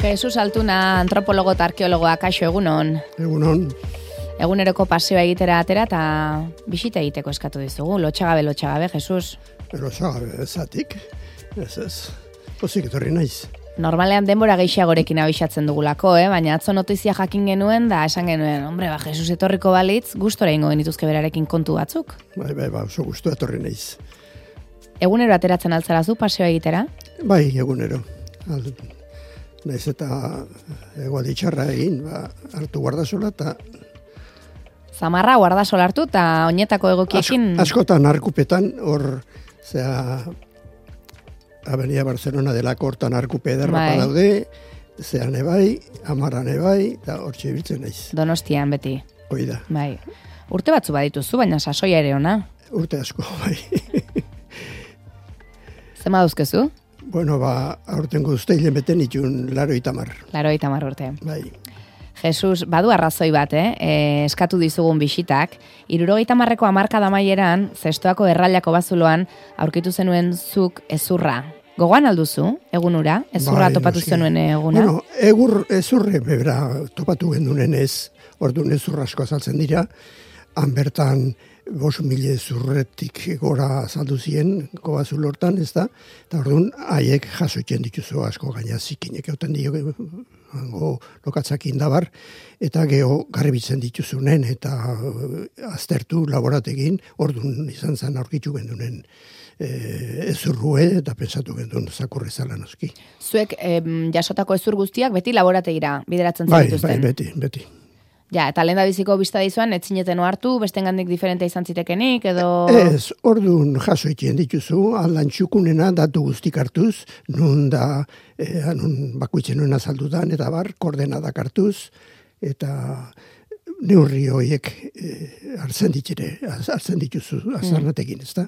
Jesus Altuna, antropologo eta arkeologoa, kaixo egunon. Egunon. Eguneroko paseoa egitera atera eta bisita egiteko eskatu dizugu. Lotxagabe, Jesus. Lotxagabe, ezatik. Ez. Pozik etorri naiz. Normalean denbora gehiagorekin abisatzen dugulako, baina atzo notizia jakin genuen da esan genuen, Jesus etorriko balitz, gustora ingo genituzke berarekin kontu batzuk. Bai, oso gustu etorri naiz. Egunero ateratzen altzarazu paseoa egitera? Bai, egunero. Naiz eta egualdi txarra egin, hartu guardasola eta... Zamarra guardasola hartu eta oinetako egokiekin... Askotan arkupetan, Avenida Barcelona delako hortan arkupe ederrapa daude, zean ebai, Amarran ebai, eta hortxe ibiltzen naiz. Donostian beti. Oida. Bai. Urte batzu badituzu, baina sasoia ere ona. Urte asko, bai. Zema dauzkezu? Bueno, aurten guzteilen beten itun 80. 80 urte. Bai. Jesus, badu arrazoi bat, eskatu dizugun bisitak, 70ko hamarkada amaieran, zestoako errailako bazuloan, aurkitu zenuen zuk ezurra. Gogoan alduzu, egunura? Ezurra topatu zenuen eguna? Bueno, ezurre bebera topatu gendunen ez, orduan ezurra asko azaltzen dira, han bertan 5.000 ezurretik gora azaldu ziren, kobazulo hortan, ez da, eta orduan haiek jasoitzen dituzu asko gaina zikinek euten dio, lokatzak indabar, eta geho garbitzen dituzunen, eta aztertu laborategin, orduan izan zen aurkitu gendunen ezurrue, eta pensatu gendun zakurrezala noski. Zuek jasotako ezur guztiak beti laborategira bideratzen zenituzten? Bai, beti. Ja, eta lehen da biziko bizta dizuan, etzineten hartu, bestengandik diferentea izan zitekenik, edo... Ez, orduan jasoitien dituzu, aldan txukunena datu guztik hartuz, nun da, nun bakuitzen nuen azaldudan, eta koordenadak hartuz, eta neurri horiek hartzen dituzu azarnatekin, ez da?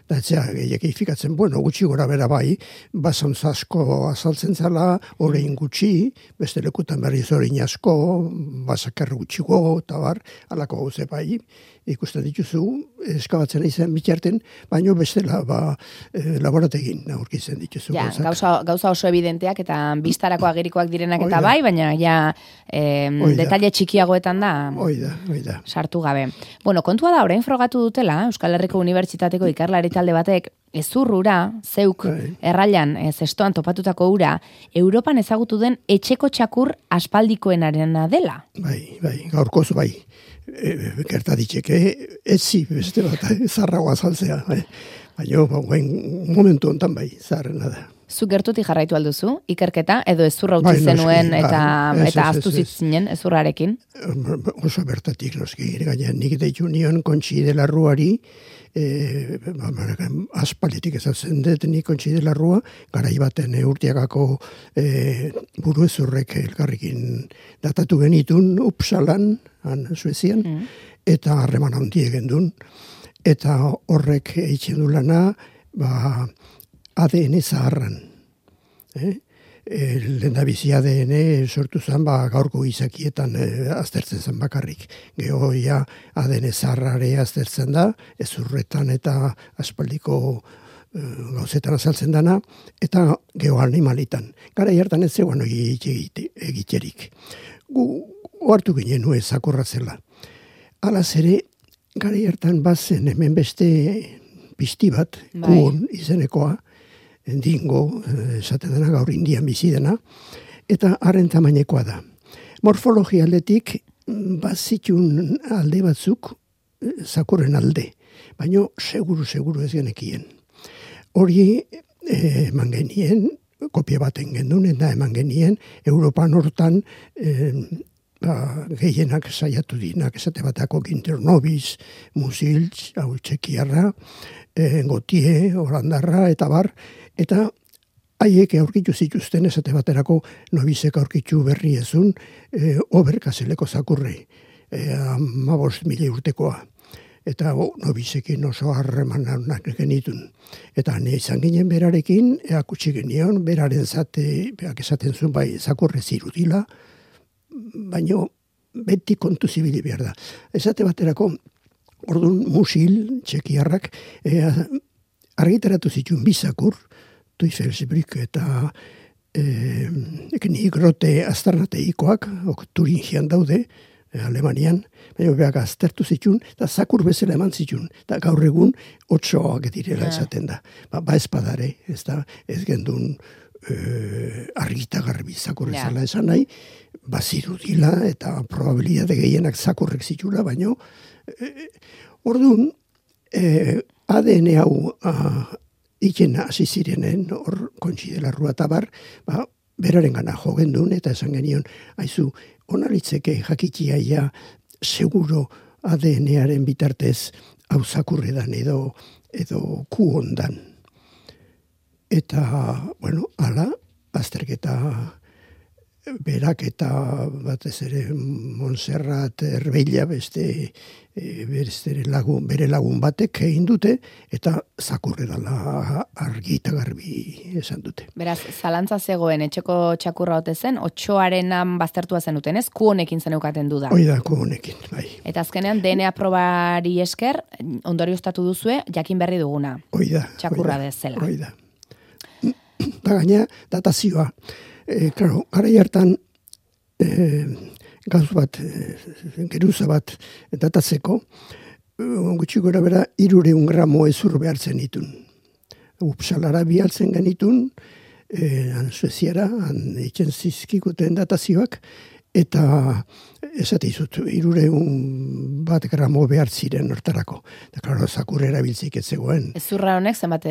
Da etzea gehiak eifikatzen, gutxi gora bera bai, basantz asko azaltzen zala, horrein gutxi, beste lekutan berriz horrein asko, basakar gutxiko, eta alako gauze bai, ikusten dituzu, eskabatzen izan bitxarten, baino bestela laborategin aurkitzen dituzu. Ja, gauza oso evidenteak eta biztarako agerikoak direnak eta bai, baina detalle txikiagoetan da Oida. Sartu gabe. Bueno, kontua da, orain frogatu dutela, Euskal Herriko Unibertsitateko ikerlari talde batek, ezurrura, zeuk, errailan, zestoan topatutako ura, Europan ezagutu den etxeko txakur aspaldikoenarena dela. Bai, gaurkoz bai. Gerta ditzeke, etzi beste bat, zarragoa azaltzea. Baina, momentu hontan bai, zarrena da. Zu gertutik jarraitu alduzu, ikerketa, edo ezurra utzi zenuen eta aztu zitzinen ezurrarekin? Oso bertatik noski, gainean nik deitu nion Kontxi de la Ruari, aspalditik ezatzen dut nik Kontxi de la Rua, garai baten urtiagako buru ezurrek elkarrekin datatu genitun Upsalan, Suezian, eta harreman handi egendun, eta horrek eitzen du lana, ADN zaharran. Lehendabizi ADN sortu zen, gaurko izakietan aztertzen zen bakarrik. Gehoia ADN zaharrare aztertzen da, ezurretan eta aspaldiko gauzetan azaltzen dana, eta geho animalitan. Gara hartan ez zegoen egiterik. Gu hartu ginen nuen zakurra zela. Alaz ere, gara hartan bazen hemen beste pizti bat, kuon izenekoa, dingo, esaten dena, gaur Indian bizi dena, eta haren tamainekoa da. Morfologia aldetik, bazitun alde batzuk, zakurren alde, baina seguru ez genekien. Hori eman genien, kopia baten gendun, eta eman genien, Europan hortan, gehienak saiatu dinak, esate batako Ginternobiz, Musiltz, hau Txekiarra, Gotie, Holandarra, eta haiek aurkitu zituzten esate baterako nobizek aurkitu berri ezun oberkazeleko zakurri, 15.000 urtekoa. Eta nobizekin oso harremanak genitun. Eta izan ginen berarekin, eakutsi genion, beraren beak esaten zuen bai zakurre zirudila, baina beti kontu zibili behar da. Esate baterako, orduan Musil, Txekiarrak, argitaratu zituen bizakur, Tuifelsbrück eta nigrote aztarnateikoak, Turingian daude, Alemanian, baina beak aztertu zitun, eta zakur bezala eman zitun, eta gaur egun 8 direla esaten da. Ba espadare, ez gendun argita garbi zakur bezala esan nahi, bazirudila eta probabilitate gehienak zakurrek zitula, baina orduan ADN hau iken hasi zirenen, hor kontsidela rua tabar, beraren gana jo gendun, eta esan genion, haizu, onalitzeke jakitiaia seguro ADN-aren bitartez hau zakurredan edo ku ondan. Eta, bueno, ala, azterketa berak eta batez ere Montserrat Erbeila bere lagun batek egin dute, eta zakurre dela argi eta garbi esan dute. Beraz, zalantza zegoen etxeko txakurra ote zen, 8arenan baztertua zenuten, ez? Ku honekin zeneukaten du da. Hoi da, ku honekin, bai. Eta azkenean DNA probari esker, ondorioztatu duzue, jakin berri duguna. Hoi da. Txakurra dezela. Hoi da. Da gaina, datazioa. Claro, gara hartan gauz bat, geruza bat datatzeko, gutxi gora bera 300 gramo ezur behartzen ditun. Upsalara bialtzen genitun, Sueziara, itxen zizkikuten datazioak, eta esate izut, 300 gramo behar ziren hortarako. Eta, klaro, zakur erabiltzik ez zegoen. Ezurra honek zenbate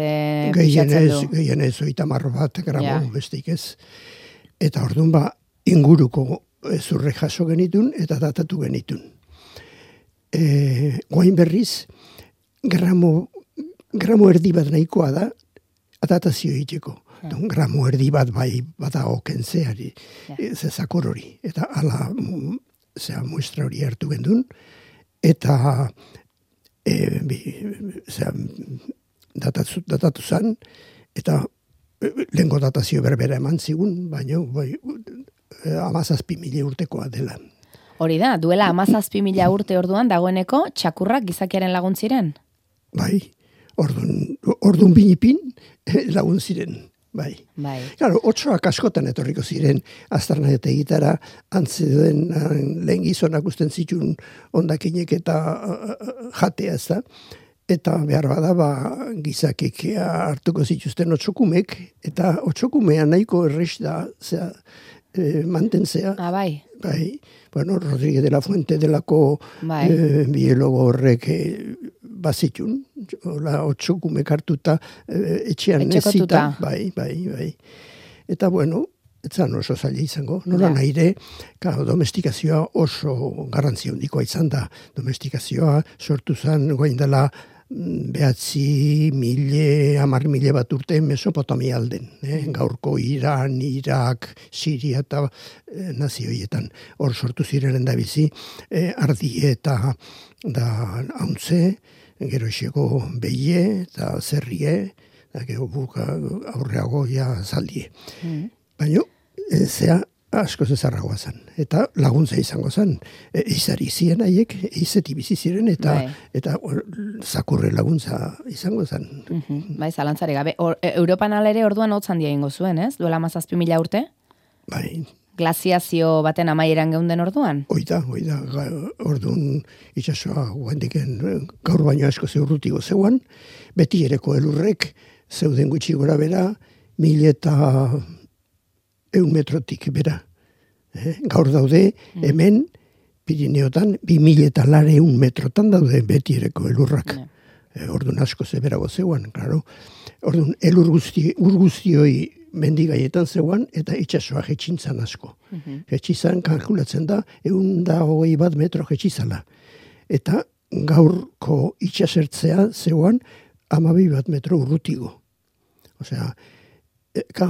pixatzen du? Gehienez, 30 gramo besteik ez. Eta orduan inguruko ezurre jaso genitun eta datatu genitun. Guain berriz, gramo erdi bat nahikoa da, datazio egiteko. Gramo erdi bat bai bada okentzeari, zakur hori. Eta ala muestra hori hartu gendun, eta datatu zan, eta lehenko datazio berbera eman zigun, baina 17.000 urtekoa dela. Hori da, duela 17.000 urte orduan dagoeneko txakurrak gizakiaren lagun ziren? Bai, orduan binipin lagun ziren. Bai. Claro, 8ak askotan etorriko ziren aztarnaketa egitara, antzeden lehen gizonak usten zituen ondakinek eta jatea ez da. Eta behar bada, gizakik hartuko zituzten 8kumek, eta 8kumea nahiko errez da, mantentzea. Bai. Bai. Bueno, Rodríguez de la Fuente delako biologo horrek bazitun, 8kumek hartuta etxean nezita. Bai. Eta bueno, etzan oso zaila izango. Nola nahire, domestikazioa oso garrantzia handikoa izan da. Domestikazioa sortu zen goain dela 10.000 bat urte Mesopotamia alden. Gaurko Iran, Irak, Siria eta nazioietan. Hor sortu zirenen da bizi, ardie eta hauntze, gero esego behie eta zerrie, gero aurreago zaldie. Baina, zea asko zezarragoa zen. Eta laguntza izango zen. Izari ziren haiek, izeti bizi ziren, eta zakurre laguntza izango zen. Bai, zalantzari gabe. Europan alere orduan hotzan dia ingo zuen, ez? Duela 17.000 urte? Bai. Glaziazio baten amaieran geunden orduan? Oida. Orduan itxasoa guendiken gaur baino asko zeurrutigo zeuan, beti ereko elurrek zeuden gutxi gora bera, 1.100 metrotik bera. Gaur daude, hemen, Pirineotan, 2.200 metrotan daude beti ereko elurrak. Orduan asko zeberago zeuan, klaro. Orduan, ur guztioi mendigaietan zeuan, eta itxasoa jetxintzan asko. Jetxizan, kalkulatzen da, 121 metro jetxizala. Eta gaurko itxasertzea zeuan, 12 metro urrutigo. Osea,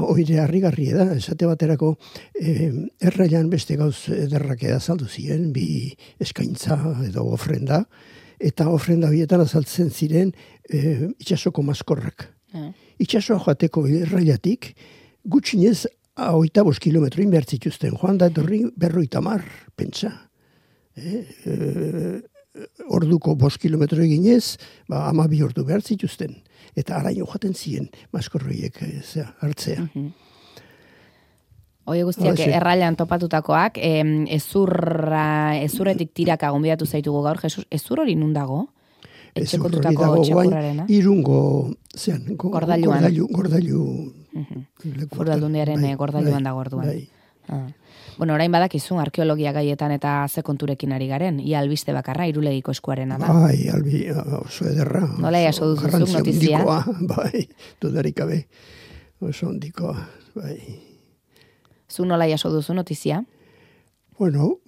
oire harrigarri da, esate baterako errailan beste gauz ederrak azaldu ziren, bi eskaintza edo ofrenda, eta ofrenda horietan azaltzen ziren itxasoko maskorrak. Itxasoa joateko errailatik, gutxinez 25 kilometro inbertzituzten, joan da etorri 50, pentsa. Orduko 5 kilometro eginez, 12 ordu behar zituzten. Eta araino jaten ziren maskorroiek hartzea. Hoi guztiak errailan topatutakoak, ezurretik tiraka gonbidatu zaitugu gaur, Jesus, ezur hori nun dago? Etxekotutako txakurrarena? Irungo, zean, gordailu. Foru Aldundiaren gordailuan dago orduan. Bai. Bueno, orain badakizu arkeologia gaietan eta ze konturekin ari garen, ia albiste bakarra, Irulegiko eskuarena da. Bai, oso ederra. Nola jaso duzuzuk notizia? Bai, dudarik gabe, oso ondikoa, bai. Zu nola jaso duzu notizia? Bueno,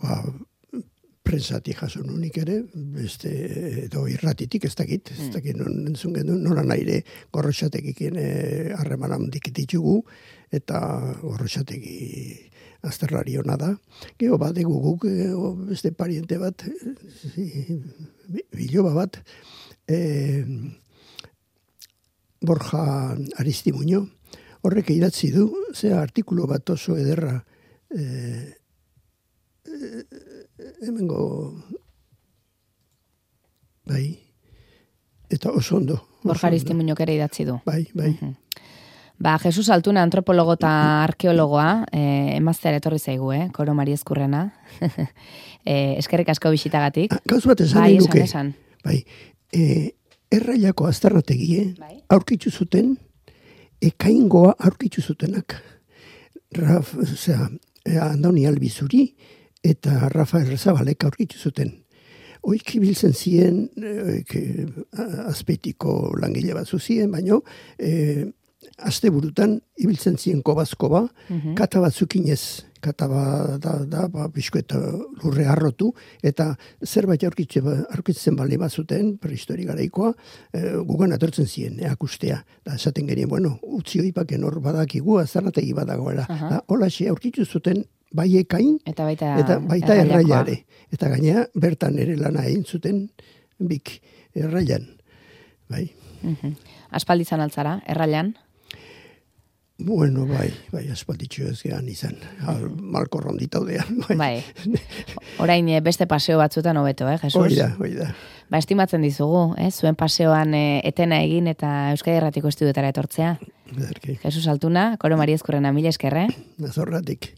prensatik jaso nunik ere, edo irratitik ez dakit non entzun genuen, nola naire Gorrotxategikin harreman handik ditugu, eta Gorrotxategi azterrari hona da. Gero badegu guk, beste pariente bat, biloba bat, Borja Aristimuño, horrek idatzi du, artikulu bat oso ederra, hemengo, bai, eta oso ondo. Borja Aristimuñok ere idatzi du. Bai. Jesus Altuna, antropologo eta arkeologoa, emazteara etorri zaigu, Koro Mariezkurrena. Eskerrik asko bisitagatik. Gauz bat esan nahi nuke. Esan. Bai, errailako aztarnategie, aurkitzu zuten, ekaingoa aurkitzu zutenak. Andoni Albizuri eta Rafael Rezabalek aurkitzu zuten. Oik ibiltzen ziren, azpeitiko langile bat zuzien, baino, aste burutan ibiltzen ziren kobazkoba, kata batzukinez, kata da, bizko eta lurre harrotu, eta zerbait aurkitzen bali bat zuten, prehistori garaikoa, gugan atortzen ziren, akustea. Da, esaten genien, bueno, utzi hoipaken hor badakigu, azarnategi badagoela. Holaxe aurkitu zuten bai ekain, eta baita erraiare. Eta gainea, bertan ere lana egin zuten, bik errailan. Bai. Aspalditzan altzara, errailan? Bueno, bai, aspalditxo ez gehan izan, malko ronditaudean. Bai, orain beste paseo batzutan hobeto, Jesus? Oida. Estimatzen dizugu, zuen paseoan etena egin eta Euskadi Erratiko Estudiotara etortzea. Bederki. Jesus Altuna, Koro Mariezkurrena, mila eskerre. Nazorratik.